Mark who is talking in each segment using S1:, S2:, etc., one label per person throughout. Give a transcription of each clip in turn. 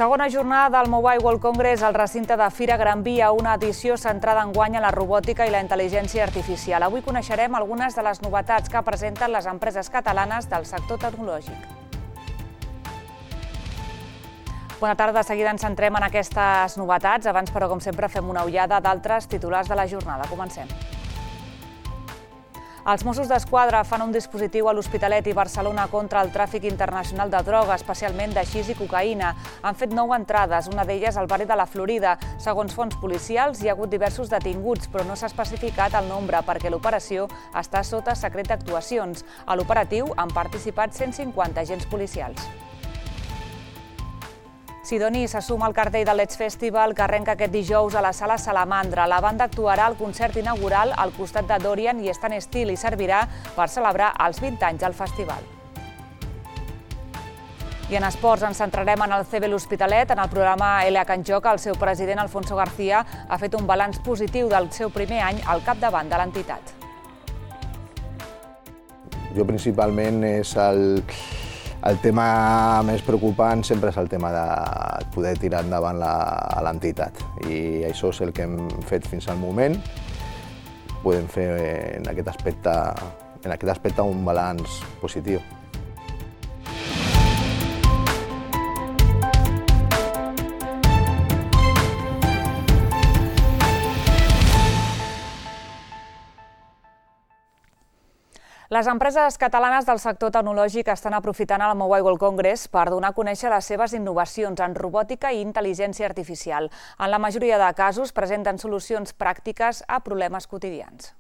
S1: Segona jornada del Mobile World Congress al recinte de Fira Gran Via, una edició centrada enguany en la robòtica i la intel·ligència artificial. Avui coneixerem algunes de les novetats que presenten les empreses catalanes del sector tecnològic. Bona tarda, de seguida ens centrem en aquestes novetats. Abans, però, com sempre, fem una ullada d'altres titulars de la jornada. Comencem. Els Mossos d'Esquadra fan un dispositiu a l'Hospitalet i Barcelona contra el tràfic internacional de droga, especialment de xis i cocaïna. Han fet 9 entrades, una d'elles al barri de la Florida. Segons fonts policials, hi ha hagut diversos detinguts, però no s'ha especificat el nombre perquè l'operació està sota secret d'actuacions. A l'operatiu han participat 150 agents policials. Sidoní se suma al cartell del Let's Festival que arrenca aquest dijous a la Sala Salamandra. La banda actuarà al concert inaugural al costat de Dorian i Stan Steele i servirà per celebrar els 20 anys del festival. I en esports ens centrarem en el CB l'Hospitalet. En el programa LH en Joc, el seu president Alfonso García ha fet un balanç positiu del seu primer any al capdavant de l'entitat.
S2: Jo principalment és el tema més preocupant sempre és el tema de poder tirar endavant l'entitat. I això és el que hem fet fins al moment. Podem fer en aquest aspecte un balanç positiu.
S1: Les empreses catalanes del sector tecnològic estan aprofitant el Mobile World Congress per donar a conèixer les seves innovacions en robòtica i intel·ligència artificial. En la majoria de casos presenten solucions pràctiques a problemes quotidians.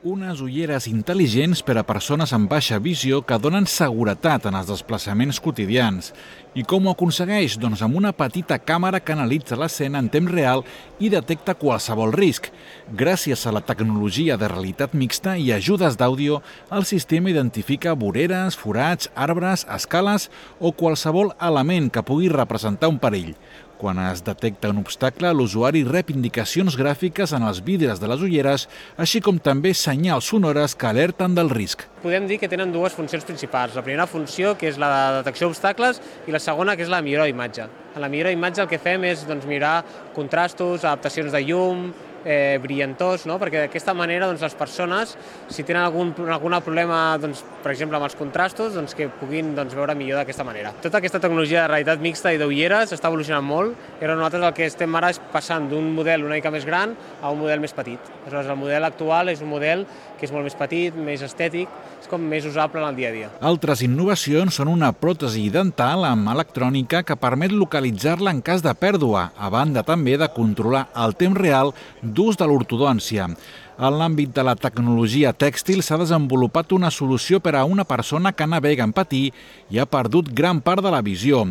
S3: Unes ulleres intel·ligents per a persones amb baixa visió que donen seguretat en els desplaçaments quotidians. I com ho aconsegueix? Doncs amb una petita càmera que analitza l'escena en temps real i detecta qualsevol risc. Gràcies a la tecnologia de realitat mixta i ajudes d'àudio, el sistema identifica voreres, forats, arbres, escales o qualsevol element que pugui representar un perill. Quan es detecta un obstacle, l'usuari rep indicacions gràfiques en els vidres de les ulleres, així com també senyals sonores que alerten del risc.
S4: Podem dir que tenen dues funcions principals. La primera funció, que és la de detecció d'obstacles, i la segona, que és la millora d'imatge. En la millora d'imatge el que fem és millorar contrastos, adaptacions de llum, brillantors, perquè d'aquesta manera les persones, si tenen algun problema, per exemple, amb els contrastos, que puguin veure millor d'aquesta manera. Tota aquesta tecnologia de realitat mixta i d'ulleres està evolucionant molt i nosaltres el que estem ara és passant d'un model una mica més gran a un model més petit. Aleshores, el model actual és un model que és molt més petit, més estètic, és com més usable en el dia a dia.
S3: Altres innovacions són una pròtesi dental amb electrònica que permet localitzar-la en cas de pèrdua, a banda també de controlar el temps real d'ús de l'ortodòncia. En l'àmbit de la tecnologia tèxtil s'ha desenvolupat una solució per a una persona que navega en patí i ha perdut gran part de la visió.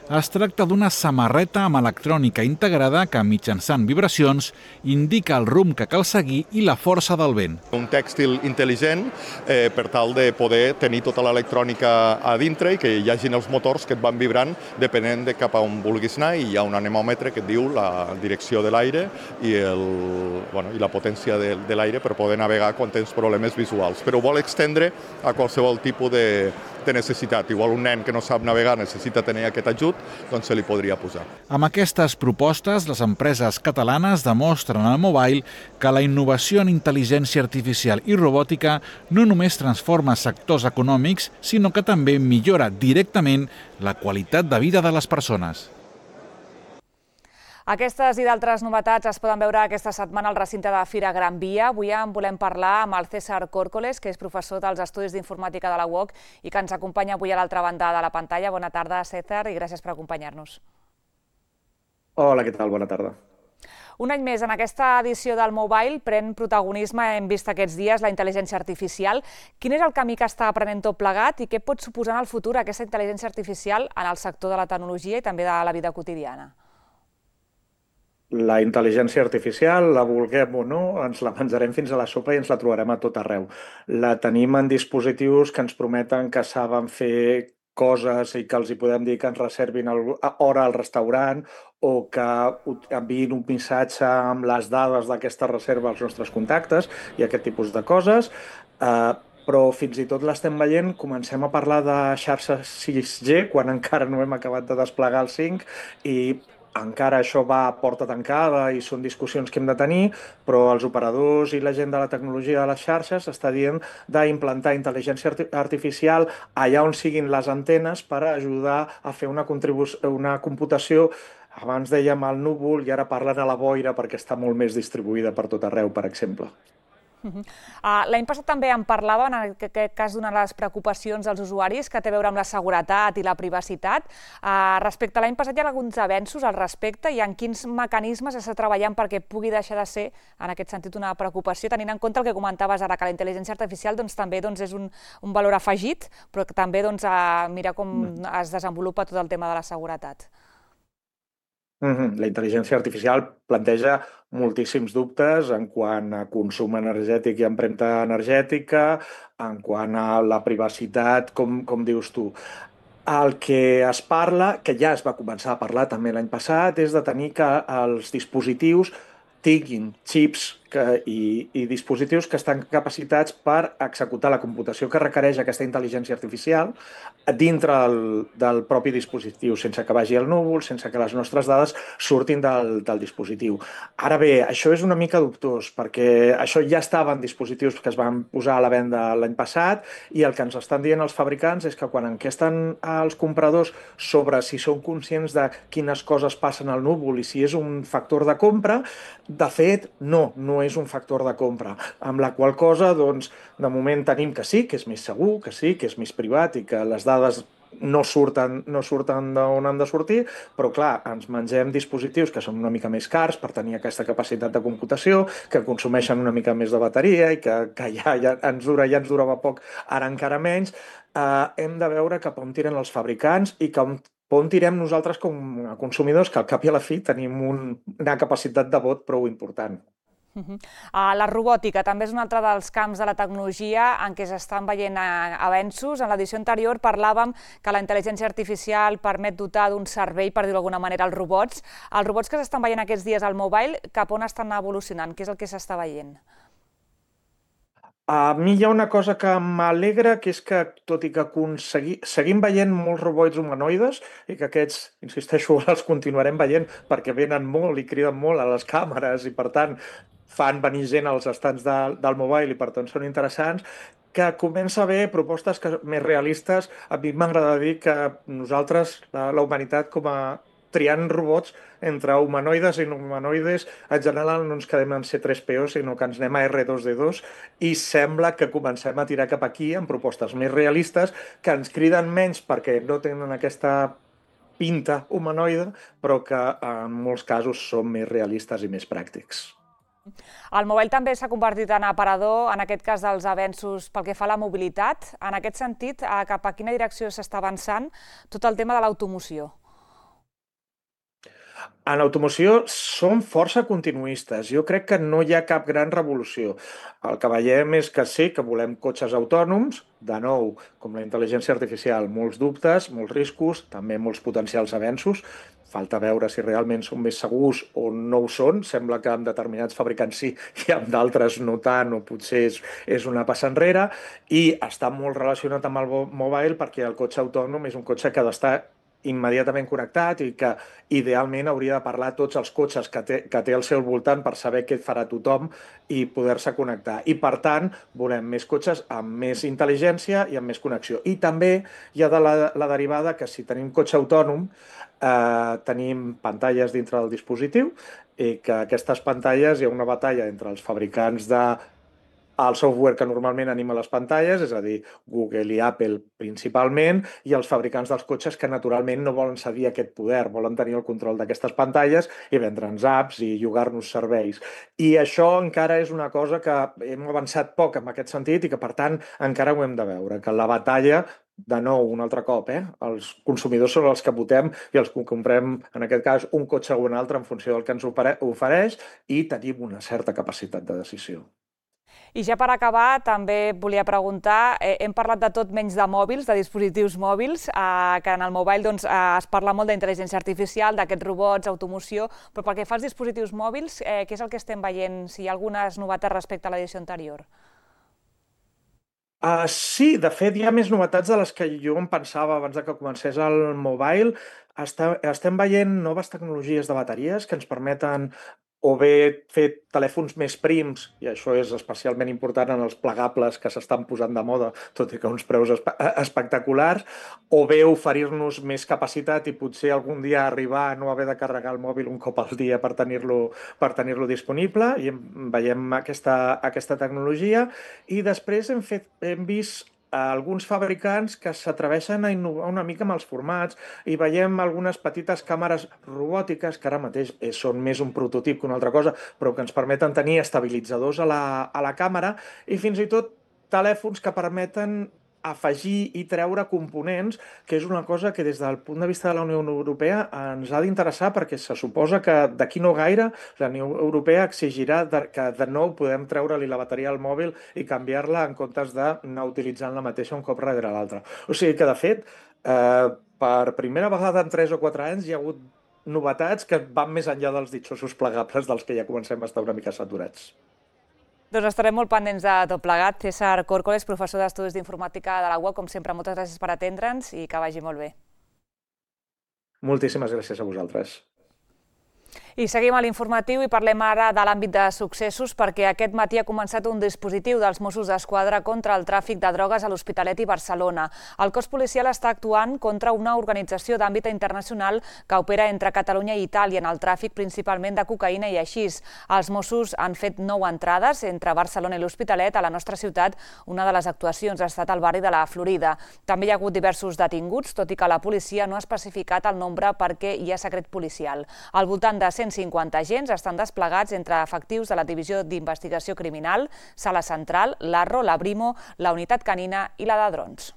S3: Es tracta d'una samarreta amb electrònica integrada que, mitjançant vibracions, indica el rumb que cal seguir i la força del vent.
S5: Un tèxtil intel·ligent per tal de poder tenir tota l'electrònica a dintre i que hi hagin els motors que et van vibrant depenent de cap a on vulguis anar, i hi ha un anemòmetre que et diu la direcció de l'aire i la potència de l'aire per poder navegar quan tens problemes visuals. Però ho vol extendre a qualsevol tipus de necessitat. Igual un nen que no sap navegar necessita tenir aquest ajut, doncs se li podria posar.
S3: Amb aquestes propostes, les empreses catalanes demostren al mobile que la innovació en intel·ligència artificial i robòtica no només transforma sectors econòmics, sinó que també millora directament la qualitat de vida de les persones.
S1: Aquestes i d'altres novetats es poden veure aquesta setmana al recinte de Fira Gran Via. Avui en volem parlar amb el César Córcoles, que és professor dels Estudis d'Informàtica de la UOC i que ens acompanya avui a l'altra banda de la pantalla. Bona tarda, César, i gràcies per acompanyar-nos.
S6: Hola, què tal? Bona tarda.
S1: Un any més, en aquesta edició del Mobile pren protagonisme, hem vist aquests dies, la intel·ligència artificial. Quin és el camí que està prenent tot plegat i què pot suposar en el futur aquesta intel·ligència artificial en el sector de la tecnologia i també de la vida quotidiana?
S6: La intel·ligència artificial, la vulguem o no, ens la menjarem fins a la sopa i ens la trobarem a tot arreu. La tenim en dispositius que ens prometen que saben fer coses i que els hi podem dir que ens reservin hora al restaurant o que enviïn un missatge amb les dades d'aquesta reserva als nostres contactes i aquest tipus de coses. però fins i tot l'estem veient, comencem a parlar de xarxes 6G quan encara no hem acabat de desplegar el 5 i encara això va a porta tancada i són discussions que hem de tenir, però els operadors i la gent de la tecnologia de les xarxes està dient d'implantar intel·ligència artificial allà on siguin les antenes per ajudar a fer una computació. Abans dèiem al núvol i ara parlen a la boira perquè està molt més distribuïda per tot arreu, per exemple.
S1: L'any passat també en parlava, en aquest cas, d'una de les preocupacions dels usuaris que té a veure amb la seguretat i la privacitat. Respecte a l'any passat, hi ha alguns avenços al respecte i en quins mecanismes s'està treballant perquè pugui deixar de ser, en aquest sentit, una preocupació, tenint en compte el que comentaves ara, que la intel·ligència artificial també és un valor afegit, però que també mira com es desenvolupa tot el tema de la seguretat.
S6: La intel·ligència artificial planteja moltíssims dubtes en quant a consum energètic i empremta energètica, en quant a la privacitat, com dius tu. El que es parla, que ja es va començar a parlar també l'any passat, és de tenir que els dispositius tinguin xips i dispositius que estan capacitats per executar la computació que requereix aquesta intel·ligència artificial dintre del propi dispositiu, sense que vagi al núvol, sense que les nostres dades surtin del dispositiu. Ara bé, això és una mica dubtós, perquè això ja estava en dispositius que es van posar a la venda l'any passat i el que ens estan dient els fabricants és que quan enquesten als compradors sobre si són conscients de quines coses passen al núvol i si és un factor de compra, de fet, no és un factor de compra, amb la qual cosa, doncs, de moment tenim que sí, que és més segur, que sí, que és més privat i que les dades no surten d'on han de sortir, però clar, ens mengem dispositius que són una mica més cars per tenir aquesta capacitat de computació, que consumeixen una mica més de bateria i que ja ens durava poc, ara encara menys. Hem de veure cap on tiren els fabricants i cap on tirem nosaltres com a consumidors, que al cap i a la fi tenim una capacitat de vot prou important.
S1: La robòtica també és un altre dels camps de la tecnologia en què s'estan veient avenços. En l'edició anterior parlàvem que la intel·ligència artificial permet dotar d'un servei, per dir-ho d'alguna manera, als robots. Els robots que s'estan veient aquests dies al mobile, cap on estan evolucionant? Què és el que s'està veient?
S6: A mi hi ha una cosa que m'alegra, que és que, tot i que seguim veient molts robots humanoides i que aquests, insisteixo, els continuarem veient perquè venen molt i criden molt a les càmeres i, per tant, fan venir gent als estants del mobile i, per tant, són interessants, que comença a haver propostes més realistes. A mi m'agrada dir que nosaltres, la humanitat, com a triant robots entre humanoides i no humanoides, en general no ens quedem en C3PO, sinó que ens anem a R2D2 i sembla que comencem a tirar cap aquí amb propostes més realistes que ens criden menys perquè no tenen aquesta pinta humanoide, però que en molts casos són més realistes i més pràctics.
S1: El mobile també s'ha convertit en aparador, en aquest cas dels avenços pel que fa a la mobilitat. En aquest sentit, cap a quina direcció s'està avançant tot el tema de l'automoció?
S6: En automoció som força continuistes. Jo crec que no hi ha cap gran revolució. El que veiem és que sí, que volem cotxes autònoms, de nou, com la intel·ligència artificial, molts dubtes, molts riscos, també molts potencials avenços. Falta veure si realment són més segurs o no ho són. Sembla que amb determinats fabricants sí i amb d'altres no tant, o potser és una passa enrere. I està molt relacionat amb el mobile perquè el cotxe autònom és un cotxe que ha d'estar immediatament connectat i que idealment hauria de parlar tots els cotxes que té al seu voltant per saber què farà tothom i poder-se connectar. I, per tant, volem més cotxes amb més intel·ligència i amb més connexió. I també hi ha la derivada que si tenim cotxe autònom tenim pantalles dintre del dispositiu i que aquestes pantalles hi ha una batalla entre els fabricants el software que normalment anima les pantalles, és a dir, Google i Apple principalment, i els fabricants dels cotxes que naturalment no volen cedir aquest poder, volen tenir el control d'aquestes pantalles i vendre'ns apps i llogar-nos serveis. I això encara és una cosa que hem avançat poc en aquest sentit i que, per tant, encara ho hem de veure, que la batalla, de nou, un altre cop, els consumidors són els que votem i els que comprem, en aquest cas, un cotxe o un altre en funció del que ens ofereix i tenim una certa capacitat de decisió.
S1: I ja per acabar, també volia preguntar, hem parlat de tot menys de mòbils, de dispositius mòbils, que en el mobile es parla molt d'intel·ligència artificial, d'aquests robots, automoció, però pel que fa als dispositius mòbils, què és el que estem veient? Si hi ha algunes novetats respecte a l'edició anterior?
S6: Sí, de fet, hi ha més novetats de les que jo em pensava abans de que comencés el mobile. Estem veient noves tecnologies de bateries que ens permeten o bé fer telèfons més prims, i això és especialment important en els plegables que s'estan posant de moda, tot i que a uns preus espectaculars, o bé oferir-nos més capacitat i potser algun dia arribar a no haver de carregar el mòbil un cop al dia per tenir-lo disponible, i veiem aquesta tecnologia. I després hem vist alguns fabricants que s'atreveixen a innovar una mica amb els formats i veiem algunes petites càmeres robòtiques que ara mateix són més un prototip que una altra cosa, però que ens permeten tenir estabilitzadors a la càmera i fins i tot telèfons que permeten afegir i treure components, que és una cosa que des del punt de vista de la Unió Europea ens ha d'interessar, perquè se suposa que d'aquí no gaire la Unió Europea exigirà que de nou podem treure-li la bateria al mòbil i canviar-la en comptes d'anar utilitzant la mateixa un cop darrere l'altre. O sigui que, de fet, per primera vegada en 3 o 4 anys hi ha hagut novetats que van més enllà dels ditxosos plegables dels que ja comencem a estar una mica saturats.
S1: Doncs estarem molt pendents de tot plegat. César Córcoles, professor d'Estudis d'Informàtica de la UOC, com sempre, moltes gràcies per atendre'ns i que vagi molt bé.
S6: Moltíssimes gràcies a vosaltres.
S1: I seguim a l'informatiu i parlem ara de l'àmbit de successos perquè aquest matí ha començat un dispositiu dels Mossos d'Esquadra contra el tràfic de drogues a l'Hospitalet i Barcelona. El cos policial està actuant contra una organització d'àmbit internacional que opera entre Catalunya i Itàlia en el tràfic principalment de cocaïna i haixís. Els Mossos han fet 9 entrades entre Barcelona i l'Hospitalet a la nostra ciutat. Una de les actuacions ha estat al barri de la Florida. També hi ha hagut diversos detinguts, tot i que la policia no ha especificat el nombre perquè hi ha secret policial. Al voltant de 150 agents estan desplegats entre efectius de la Divisió d'Investigació Criminal, Sala Central, l'Arro, la Brimo, la Unitat Canina i la de Drons.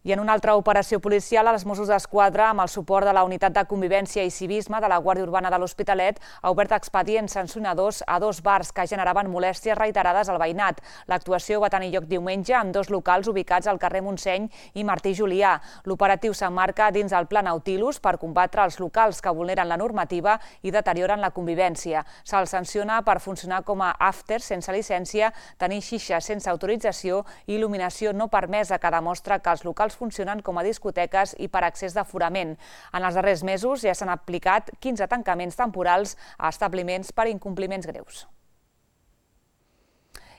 S1: I en una altra operació policial, els Mossos d'Esquadra, amb el suport de la Unitat de Convivència i Civisme de la Guàrdia Urbana de l'Hospitalet, ha obert expedients sancionadors a 2 bars que generaven molèsties reiterades al veïnat. L'actuació va tenir lloc diumenge en 2 locals ubicats al carrer Montseny i Martí Julià. L'operatiu s'emmarca dins el Pla Nautilus per combatre els locals que vulneren la normativa i deterioren la convivència. Se'ls sanciona per funcionar com a after sense llicència, tenir xixes sense autorització i il·luminació no permesa, que demostra que els locals funcionen com a discoteques i per accés d'aforament. En els darrers mesos ja s'han aplicat 15 tancaments temporals a establiments per incompliments greus.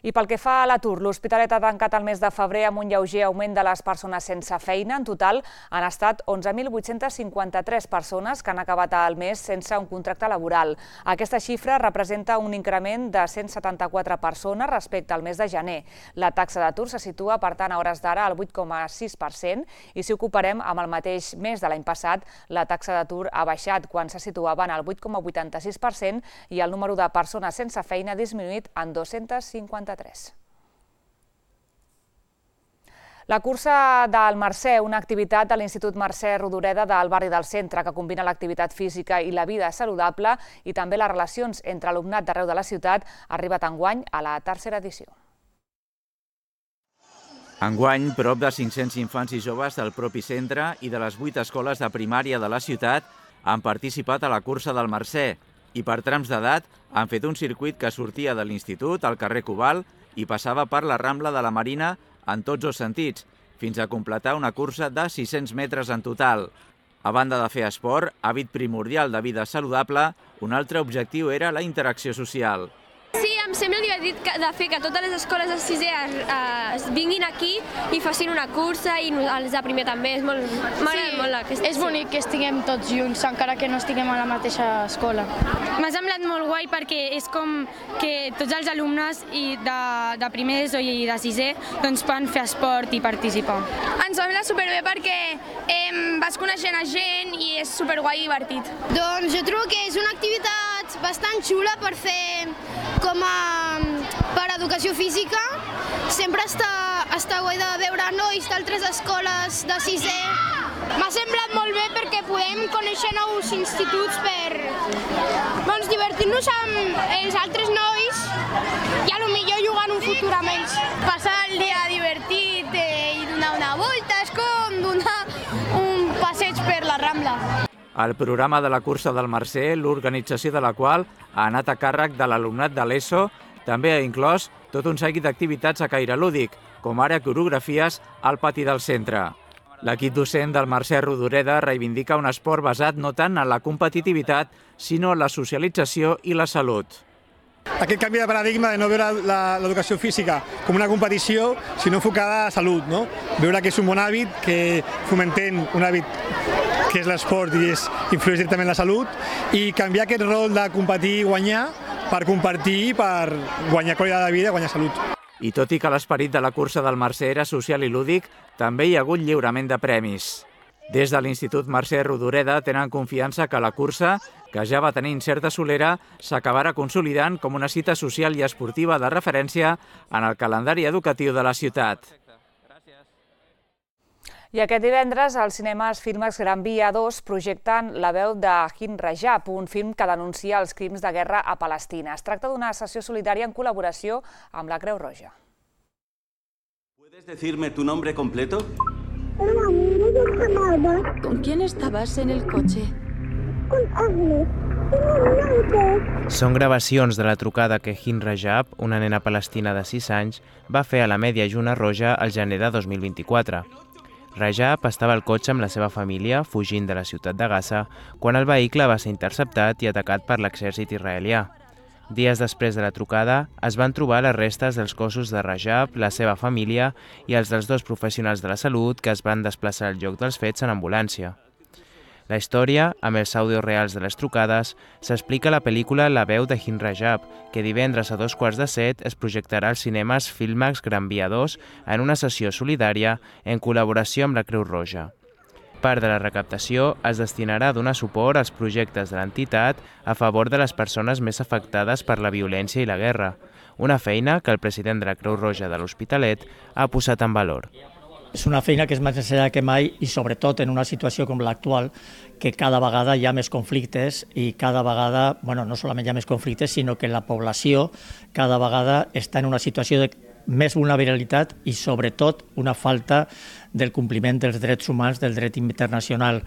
S1: I pel que fa a l'atur, l'Hospitalet ha tancat el mes de febrer amb un lleuger augment de les persones sense feina. En total han estat 11.853 persones que han acabat el mes sense un contracte laboral. Aquesta xifra representa un increment de 174 persones respecte al mes de gener. La taxa d'atur se situa, per tant, a hores d'ara al 8,6% i si ho comparem amb el mateix mes de l'any passat, la taxa d'atur ha baixat quan se situava en el 8,86% i el número de persones sense feina ha disminuït en 253. La cursa del Mercè, una activitat de l'Institut Mercè Rodoreda del barri del Centre que combina l'activitat física i la vida saludable i també les relacions entre alumnat d'arreu de la ciutat, ha arribat enguany a la 3a edició.
S7: Enguany, prop de 500 infants i joves del propi centre i de les 8 escoles de primària de la ciutat han participat a la cursa del Mercè i per trams d'edat han fet un circuit que sortia de l'institut al carrer Cobalt i passava per la Rambla de la Marina en tots els sentits, fins a completar una cursa de 600 metres en total. A banda de fer esport, hàbit primordial de vida saludable, un altre objectiu era la interacció social.
S8: Sí, em sembla divertit de fer que totes les escoles de 6è vinguin aquí i facin una cursa i els de primer també. M'agrada molt aquesta.
S9: És bonic que estiguem tots junts, encara que no estiguem a la mateixa escola. M'ha semblat molt guai perquè és com que tots els alumnes de primer d'ESO i de 6è poden fer esport i participar.
S10: Ens sembla superbé perquè vas coneixent a gent i és superguai i divertit.
S11: Doncs jo trobo que és una activitat bastant xula per fer per educació física. Sempre està guai de veure nois d'altres escoles de 6è.
S10: M'ha semblat molt bé perquè podem conèixer nous instituts per divertir-nos amb els altres nois i potser jugar en un futur amb ells. Passar el dia divertit i donar una volta, és com donar un passeig per la Rambla.
S7: El programa de la cursa del Mercè, l'organització de la qual ha anat a càrrec de l'alumnat de l'ESO, també ha inclòs tot un seguit d'activitats a caire lúdic, com ara coreografies al pati del centre. L'equip docent del Mercè Rodoreda reivindica un esport basat no tant en la competitivitat, sinó en la socialització i la salut.
S12: Aquest canvi de paradigma de no veure l'educació física com una competició, sinó enfocada a la salut, no? Veure que és un bon hàbit, que fomentem un hàbit que és l'esport i influeix directament en la salut, i canviar aquest rol de competir i guanyar per compartir, per guanyar qualitat de vida i guanyar salut.
S7: I tot i que l'esperit de la cursa del Mercè era social i lúdic, també hi ha hagut lliurament de premis. Des de l'Institut Mercè Rodoreda tenen confiança que la cursa, que ja va tenir certa solera, s'acabarà consolidant com una cita social i esportiva de referència en el calendari educatiu de la ciutat.
S1: I aquest divendres, als cinemes Filmex Gran Via 2 projecten La veu de Hind Rajab, un film que denuncia els crims de guerra a Palestina. Es tracta d'una sessió solidària en col·laboració amb la Creu Roja.
S13: ¿Puedes decirme tu nombre completo?
S14: ¿Con quién estabas en el coche?
S15: Con Agnes. Són gravacions de la trucada que Hind Rajab, una nena palestina de 6 anys, va fer a la Mèdia Lluna Roja al gener de 2024. Rajab estava al cotxe amb la seva família, fugint de la ciutat de Gaza, quan el vehicle va ser interceptat i atacat per l'exèrcit israelià. Dies després de la trucada, es van trobar les restes dels cossos de Rajab, la seva família i els dels 2 professionals de la salut que es van desplaçar al lloc dels fets en ambulància. La història, amb els àudios reals de les trucades, s'explica a la pel·lícula La veu de Hind Rajab, que divendres a 6:15 es projectarà als cinemes Filmex Gran Via 2 en una sessió solidària en col·laboració amb la Creu Roja. Part de la recaptació es destinarà a donar suport als projectes de l'entitat a favor de les persones més afectades per la violència i la guerra, una feina que el president de la Creu Roja de l'Hospitalet ha posat en valor.
S16: És una feina que és més necessària que mai i sobretot en una situació com l'actual, que cada vegada hi ha més conflictes i cada vegada, no solament hi ha més conflictes, sinó que la població cada vegada està en una situació de més vulnerabilitat i sobretot una falta del compliment dels drets humans, del dret internacional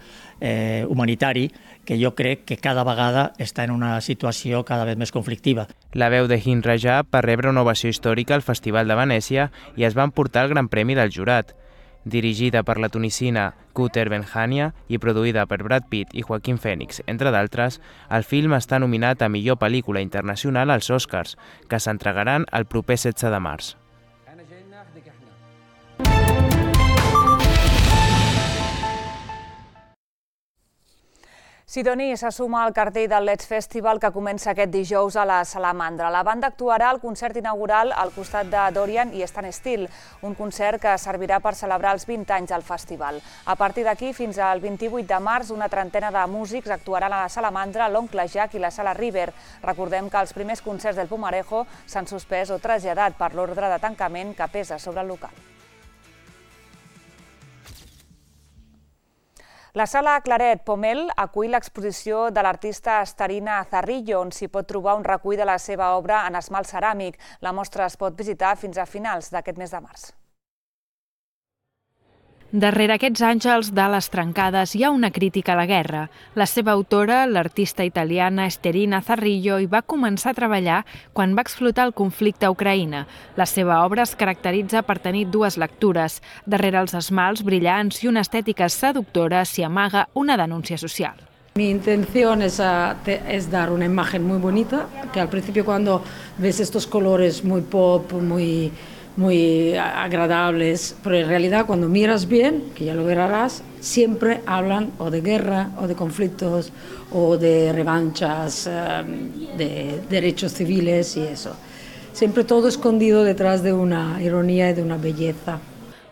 S16: humanitari, que jo crec que cada vegada està en una situació cada vegada més conflictiva.
S15: La veu de Hind Rajab va rebre una ovació històrica al Festival de Venècia i es va emportar el Gran Premi del Jurat. Dirigida per la tunisina Kouter Benhania i produïda per Brad Pitt i Joaquín Phoenix, entre d'altres, el film està nominat a millor pel·lícula internacional als Oscars, que s'entregaran el proper 16 de març.
S1: Sidoní se suma al cartell del Let's Festival que comença aquest dijous a la Salamandra. La banda actuarà al concert inaugural al costat de Dorian i Stan Steele, un concert que servirà per celebrar els 20 anys del festival. A partir d'aquí, fins al 28 de març, una trentena de músics actuaran a la Salamandra, l'Oncle Jack i la Sala River. Recordem que els primers concerts del Pumarejo s'han suspès o traslladat per l'ordre de tancament que pesa sobre el local. La Sala Claret Pomel acull l'exposició de l'artista Starina Zarrillo, on s'hi pot trobar un recull de la seva obra en esmalt ceràmic. La mostra es pot visitar fins a finals d'aquest mes de març.
S17: Darrere aquests àngels de les trencades hi ha una crítica a la guerra. La seva autora, l'artista italiana Starina Zarrillo, hi va començar a treballar quan va explotar el conflicte a Ucraïna. La seva obra es caracteritza per tenir 2 lectures. Darrere els esmalts brillants i una estètica seductora s'hi amaga una denúncia social.
S18: Mi intención es dar una imagen muy bonita, que al principio cuando ves estos colores muy pop, muy agradables, pero en realidad cuando miras bien, que ya lo verás, siempre hablan o de guerra o de conflictos o de revanchas, de derechos civiles y eso. Siempre todo escondido detrás de una ironía y de una belleza.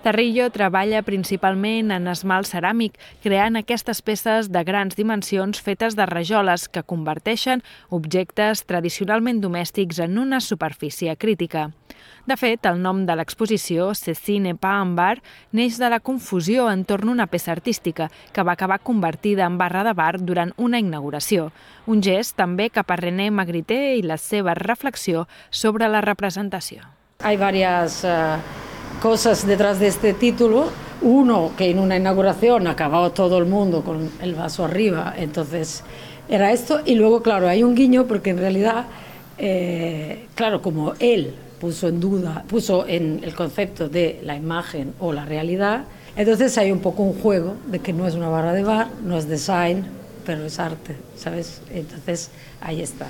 S17: Zarrillo treballa principalment en esmalt ceràmic, creant aquestes peces de grans dimensions fetes de rajoles que converteixen objectes tradicionalment domèstics en una superfície crítica. De fet, el nom de l'exposició, Cecine pas en bar, neix de la confusió entorn a una peça artística que va acabar convertida en barra de bar durant una inauguració. Un gest també cap a René Magritte i la seva reflexió sobre la representació.
S18: Hay varias cosas detrás de este título. Uno, que en una inauguración acababa todo el mundo con el vaso arriba, entonces era esto. Y luego, claro, hay un guiño porque en realidad, claro, como él puso en el concepto de la imagen o la realidad. Entonces hay un poco un juego de que no es una barra de bar, no es design, pero es arte, ¿sabes? Entonces ahí está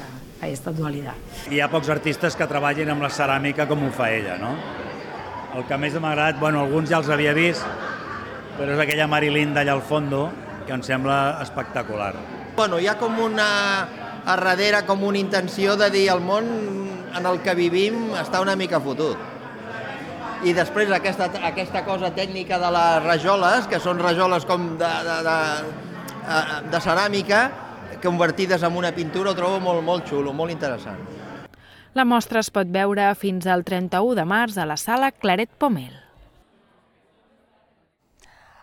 S18: dualitat.
S19: Hi ha pocs artistes que treballin amb la ceràmica com ho fa ella, no? El que més m'ha agradat, bueno, alguns ja els havia vist, però és aquella Marilyn d'allà al fondo, que em sembla espectacular.
S20: Bueno, hi ha com a darrere com una intenció de dir el món en el que vivim està una mica fotut. I després aquesta cosa tècnica de les rajoles, que són rajoles com de ceràmica, convertides en una pintura, ho trobo molt xulo, molt interessant.
S17: La mostra es pot veure fins al 31 de març a la sala Claret Pomel.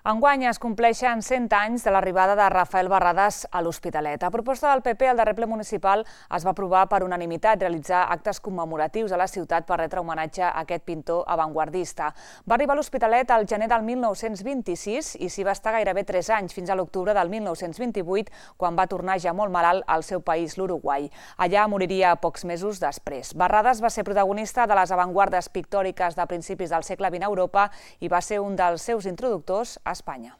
S1: Enguany es compleixen 100 anys de l'arribada de Rafael Barradas a l'Hospitalet. A proposta del PP, el darrer ple municipal es va aprovar per unanimitat realitzar actes commemoratius a la ciutat per retre homenatge a aquest pintor avantguardista. Va arribar a l'Hospitalet al gener del 1926 i s'hi va estar gairebé 3 anys, fins a l'octubre del 1928, quan va tornar ja molt malalt al seu país, l'Uruguai. Allà moriria pocs mesos després. Barradas va ser protagonista de les avantguardes pictòriques de principis del segle XX a Europa i va ser un dels seus introductors a Espanya.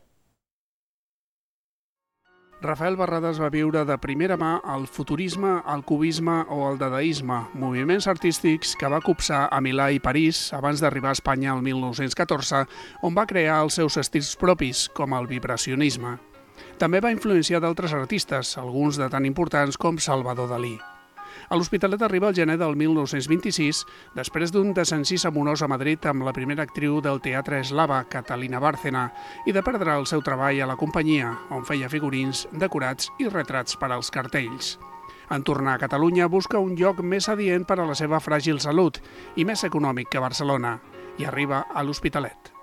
S21: Rafael Barradas va viure de primera mà el futurisme, el cubisme o el dadaisme, moviments artístics que va copsar a Milà i París abans d'arribar a Espanya el 1914, on va crear els seus estils propis, com el vibracionisme. També va influenciar d'altres artistes, alguns de tan importants com Salvador Dalí. A l'Hospitalet arriba el gener del 1926, després d'un desencís amorós a Madrid amb la primera actriu del teatre eslava, Catalina Bárcena, i de perdre el seu treball a la companyia, on feia figurins, decorats i retrats per als cartells. En tornar a Catalunya busca un lloc més adient per a la seva fràgil salut i més econòmic que Barcelona, i arriba a l'Hospitalet.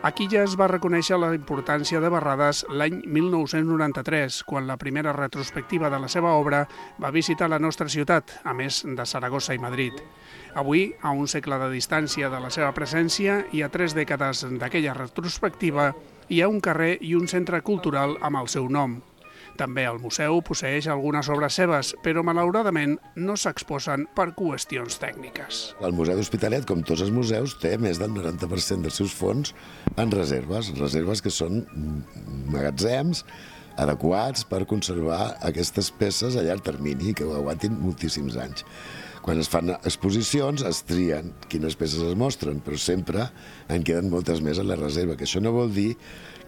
S21: Aquí ja es va reconèixer la importància de Barradas l'any 1993, quan la primera retrospectiva de la seva obra va visitar la nostra ciutat, a més de Saragossa i Madrid. Avui, a un segle de distància de la seva presència i a 3 dècades d'aquella retrospectiva, hi ha un carrer i un centre cultural amb el seu nom. També el museu posseeix algunes obres seves, però malauradament no s'exposen per qüestions tècniques.
S22: El Museu d'Hospitalet, com tots els museus, té més del 90% dels seus fons en reserves que són magatzems adequats per conservar aquestes peces a llarg termini que ho aguantin moltíssims anys. Quan es fan exposicions es trien quines peces es mostren, però sempre en queden moltes més a la reserva, que això no vol dir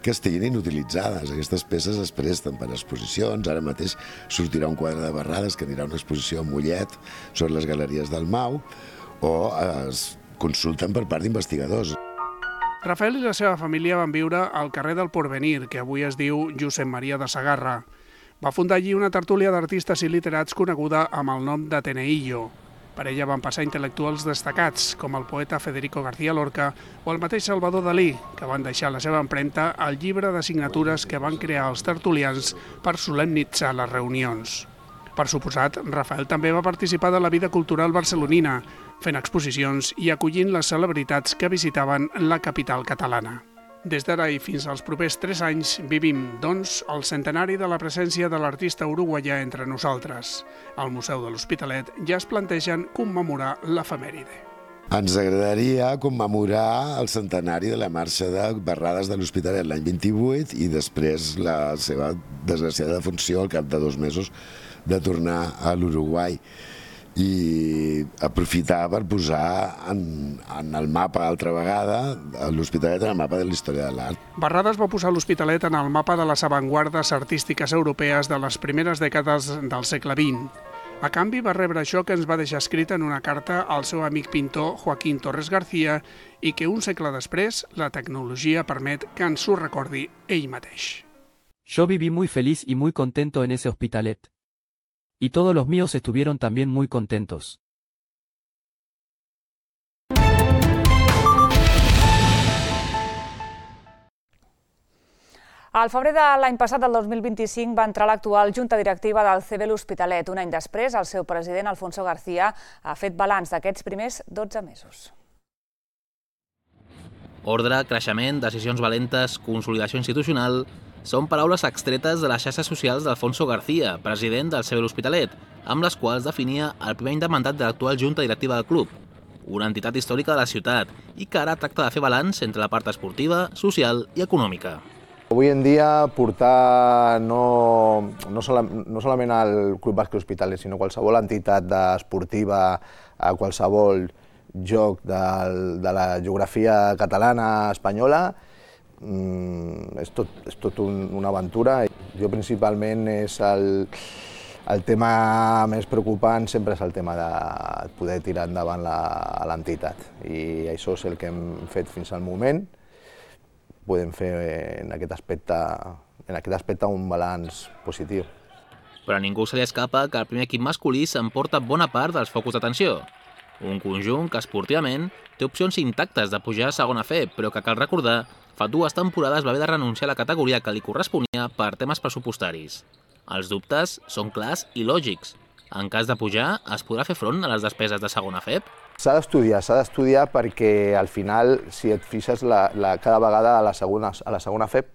S22: que estiguin inutilitzades. Aquestes peces es presten per exposicions. Ara mateix sortirà un quadre de Barradas que anirà a una exposició a Mollet sobre les galeries del Mau, o es consulten per part d'investigadors.
S21: Rafael i la seva família van viure al carrer del Porvenir, que avui es diu Josep Maria de Sagarra. Va fundar allí una tertúlia d'artistes i literats coneguda amb el nom d'Ateneillo. Per ella van passar intel·lectuals destacats, com el poeta Federico García Lorca o el mateix Salvador Dalí, que van deixar la seva empremta al llibre de signatures que van crear els tertulians per solemnitzar les reunions. Per suposat, Rafael també va participar de la vida cultural barcelonina, fent exposicions i acollint les celebritats que visitaven la capital catalana. Des d'ara i fins als propers 3 anys vivim, doncs, el centenari de la presència de l'artista uruguaià entre nosaltres. Al Museu de l'Hospitalet ja es plantegen commemorar l'efemèride.
S22: Ens agradaria commemorar el centenari de la marxa de Barradas de l'Hospitalet l'any 28 i després la seva desgraciada defunció al cap de 2 mesos de tornar a l'Uruguai. I aprofitar per posar en el mapa altra vegada l'Hospitalet en el mapa de la història de l'art.
S21: Barradas va posar l'Hospitalet en el mapa de les avantguardes artístiques europees de les primeres dècades del segle XX. A canvi va rebre això que ens va deixar escrit en una carta al seu amic pintor Joaquín Torres García i que un segle després la tecnologia permet que ens ho recordi ell mateix.
S23: Yo viví muy feliz y muy contento en ese Hospitalet. Y todos los míos estuvieron también muy contentos.
S1: Al febrer de l'any passat, del 2025, va entrar l'actual Junta Directiva del CB l'Hospitalet. Un any després, el seu president, Alfonso García, ha fet balanç d'aquests primers 12 mesos.
S24: Ordre, creixement, decisions valentes, consolidació institucional... Són paraules extretes de les xarxes socials d'Alfonso García, president del CB l'Hospitalet, amb les quals definia el primer any de mandat de l'actual Junta Directiva del club. una entitat històrica de la ciutat i que ara tracta de fer balanç entre la part esportiva, social i econòmica.
S2: Avui en dia portar no solament al Club Bàsquet Hospitalet, sinó qualsevol entitat esportiva a qualsevol joc de la geografia catalana, espanyola, és tot una aventura. Jo principalment és el tema més preocupant, sempre és el tema de poder tirar endavant l'entitat. I això és el que hem fet fins al moment. Podem fer en aquest aspecte un balanç positiu.
S24: Però a ningú se li escapa que el primer equip masculí s'emporta bona part dels focus d'atenció. Un conjunt que esportivament té opcions intactes de pujar a segona FEP, però que cal recordar, fa 2 temporades va haver de renunciar a la categoria que li corresponia per temes pressupostaris. Els dubtes són clars i lògics. En cas de pujar, es podrà fer front a les despeses de segona FEP?
S2: S'ha d'estudiar perquè al final, si et fixes, cada vegada a la segona FEP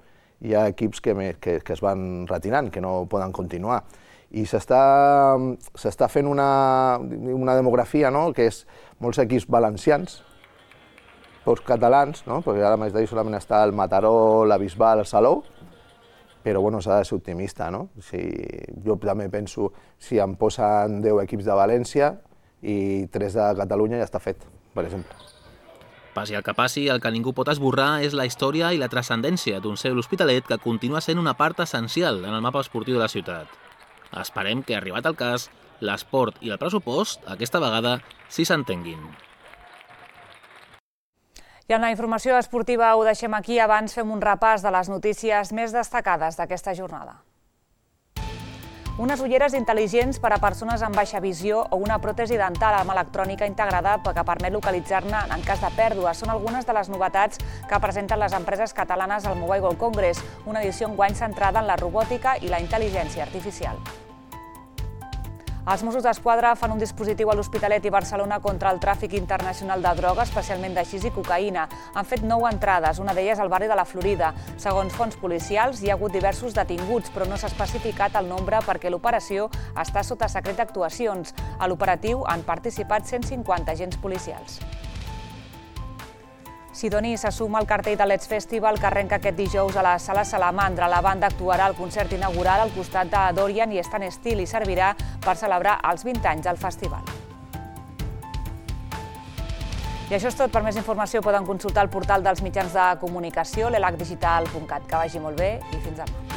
S2: hi ha equips que es van retirant, que no poden continuar. I s'està fent una demografia, que és molts equips valencians, catalans, perquè ara més d'ahir solament està el Mataró, la Bisbal, el Salou, però s'ha de ser optimista. Jo també penso, si em posen 10 equips de València i 3 de Catalunya, ja està fet, per exemple.
S24: Passi el que passi, el que ningú pot esborrar és la història i la transcendència d'un seu l'Hospitalet que continua sent una part essencial en el mapa esportiu de la ciutat. Esperem que, arribat el cas, l'esport i el pressupost, aquesta vegada, sí s'entenguin.
S1: I en la informació esportiva ho deixem aquí. Abans fem un repàs de les notícies més destacades d'aquesta jornada. Unes ulleres intel·ligents per a persones amb baixa visió o una pròtesi dental amb electrònica integrada que permet localitzar-ne en cas de pèrdua. Són algunes de les novetats que presenten les empreses catalanes al Mobile World Congress, una edició enguany centrada en la robòtica i la intel·ligència artificial. Els Mossos d'Esquadra fan un dispositiu a l'Hospitalet i Barcelona contra el tràfic internacional de droga, especialment de xis i cocaïna. Han fet 9 entrades, una d'elles al barri de la Florida. Segons fonts policials, hi ha hagut diversos detinguts, però no s'ha especificat el nombre perquè l'operació està sota secret d'actuacions. A l'operatiu han participat 150 agents policials. Sidoní se suma al cartell de Let's Festival que arrenca aquest dijous a la Sala Salamandra. La banda actuarà al concert inaugural al costat de Dorian i Stan Steele i servirà per celebrar els 20 anys del festival. I això és tot. Per més informació poden consultar el portal dels mitjans de comunicació, l'elacdigital.cat. Que vagi molt bé i fins demà.